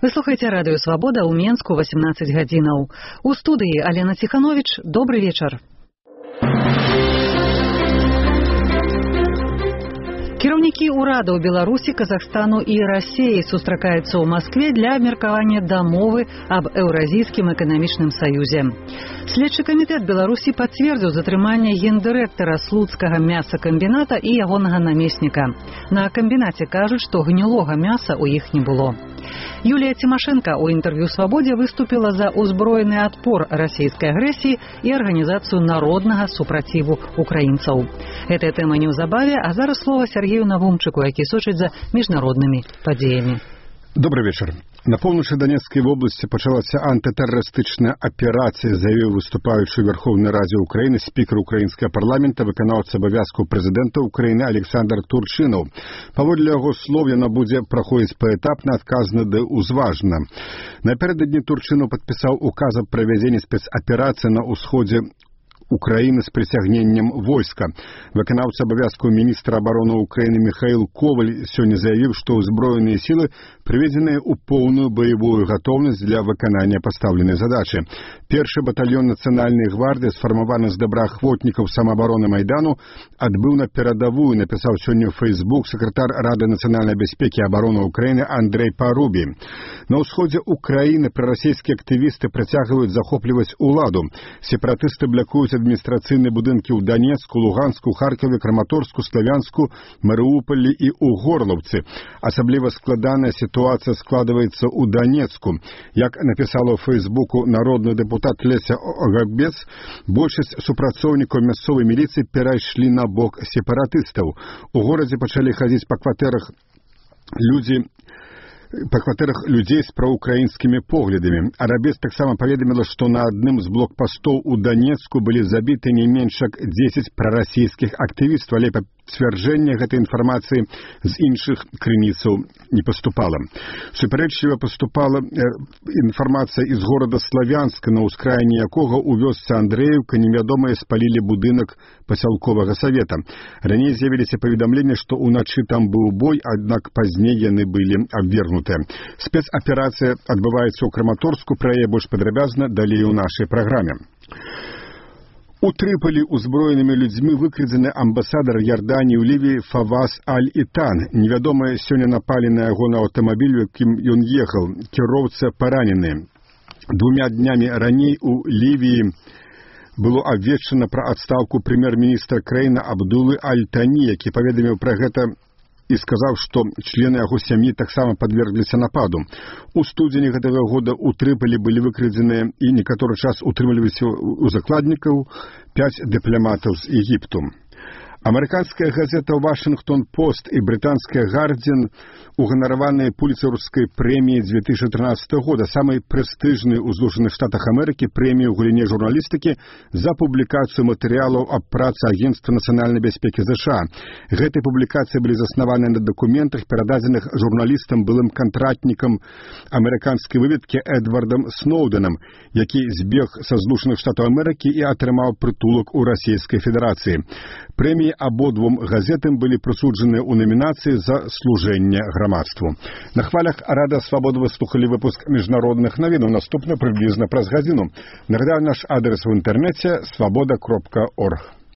Вы слухаеце радыё «Свабода» ў Менску 18 гадзінаў. У студыі Алена Ціханович. Добры вечар. Кіраўнікі ўрадаў Беларусі, Казахстану і Расіі сустракаюцца ў Маскве для абмеркавання дамовы аб Еўразійскім эканамічным саюзе. Следчы камітэт Беларусі пацвердзіў затрыманне гендырэктара слуцкага мясакамбіната і ягонага намесніка. На камбінаце кажуць, што гнілога мяса ў іх не было. Юлія Тимошенко у інтэрв'ю «Свабодзе» выступила за узброены адпор расійскай агрэсіі і арганізацыю народнага супраціву украінцаў. Гэтая тэма неўзабаве, а зараз слова Сергею Навумчыку, які сочыць за міжнароднымі падзеямі. Добрый вечер. На поўначы Донецкай вобласці пачалася антытэрарыстычная аперацыя, заявіў выступаючы ў Верховнай Радзе Украіны спікер украінскага парламента, выканаўца абавязкаў прэзідэнта Украіны Александр Турчынаў. Паводле яго слоў, яна будзе праходзіць паэтапна, адказна ды ўзважна. Напярэдадні Турчынаў падпісаў указ аб правядзенні спецаперацыі на ўсходзе Украины с присягнением войска. Выканаўца абавязкаў міністра абароны Украины Михаил Коваль сегодня заявил, что узброенные силы приведены ў полную боевую готовность для выканания поставленной задачи. Першы батальон Национальной гвардии, сформованы з добраахвотнікаў самообороны Майдану, отбыл на передовую, написал сегодня в Facebook секретарь Рады национальной безопеки и обороны Украины Андрей Парубий. На усходе Украины пророссийские активисты працягваюць захопліваць уладу. Сепаратысты блокуюць адміністрацыйныя будынкі ў Донецку, Луганску, Харкове, Краматорску, Славянску, Марыуполі і ў Горлаўцы. Асабліва складаная сітуацыя складваецца ў Донецку. Як напісала ў Фейсбуку народны дэпутат Леся Огабец, большасць супрацоўнікаў мясцовай міліцыі перайшлі на бок сепаратыстаў. У горадзе пачалі хадзіць па кватэрах людзей з праўукраінскімі поглядамі. Арабес таксама паведаміла, што на адным з блокпастоў у Донецку былі забіты не менш як 10 прарасійскіх актывістаў, але пацвярджэнне гэтай інфармацыі з іншых крыніцаў не паступала. Супярэчліва паступала інфармацыя з горада Славянска, на ўскраіне якога ў вёсцы Андрэеўка невядомыя спалілі будынак пасялковага савета. Раней з'явіліся паведамленні, што ўначы там быў бой, аднак пазней яны былі абвергнуты. Спецаперацыя адбываецца ў Краматорску, пра яе больш падрабязна далей у нашай праграме. У Трыполі узброенымі людзьмі выкрадзены амбасадар Ярданіі ў Лівіі Фаваз Аль-Ітан. Невядомыя сёння напалі на яго на аўтамабіль, якім ён ехаў. Кіроўца паранены. 2 днямі раней у Лівіі было абвешчана пра адстаўку прэм'ер-міністра краіны Абдулы Аль-Тані, які паведаміў пра гэта і сказаў, што члены яго сям'і таксама падвергліся нападу. У студзені гэтага года ў Трыполі былі выкрадзеныя і некаторы час утрымліваліся ў закладнікаў 5 дыпламатаў з Егіпту. Амерыканская газета «Вашингтон-Пост» і брытанская «Гардзіан» уганараваныя пуліцэраўскай прэміяй 2013 года, самай прэстыжнай у Злучаных Штатах Амерыкі прэміі ў галіне журналістыкі за публікацыю матэрыялаў аб працы Агенцтва нацыянальнай бяспекі США. Гэтыя публікацыі былі заснаваны на дакументах, перададзеных журналістам былым кантратнікам амерыканскай выведкі Эдвардам Сноўдэнам, які збег са Злучаных Штатаў Амерыкі і атрымаў прытулак у Расійскай Федэрацыі. Прэміі абодвум газетам былі прысуджаныя ў намінацыі за служэнне грамадству. На хвалях Рада Свабоды вы слухалі выпуск міжнародных навінаў. Наступна прыблізна праз гадзіну. Нагадаю, наш адрес в інтэрнэце свабода.орг.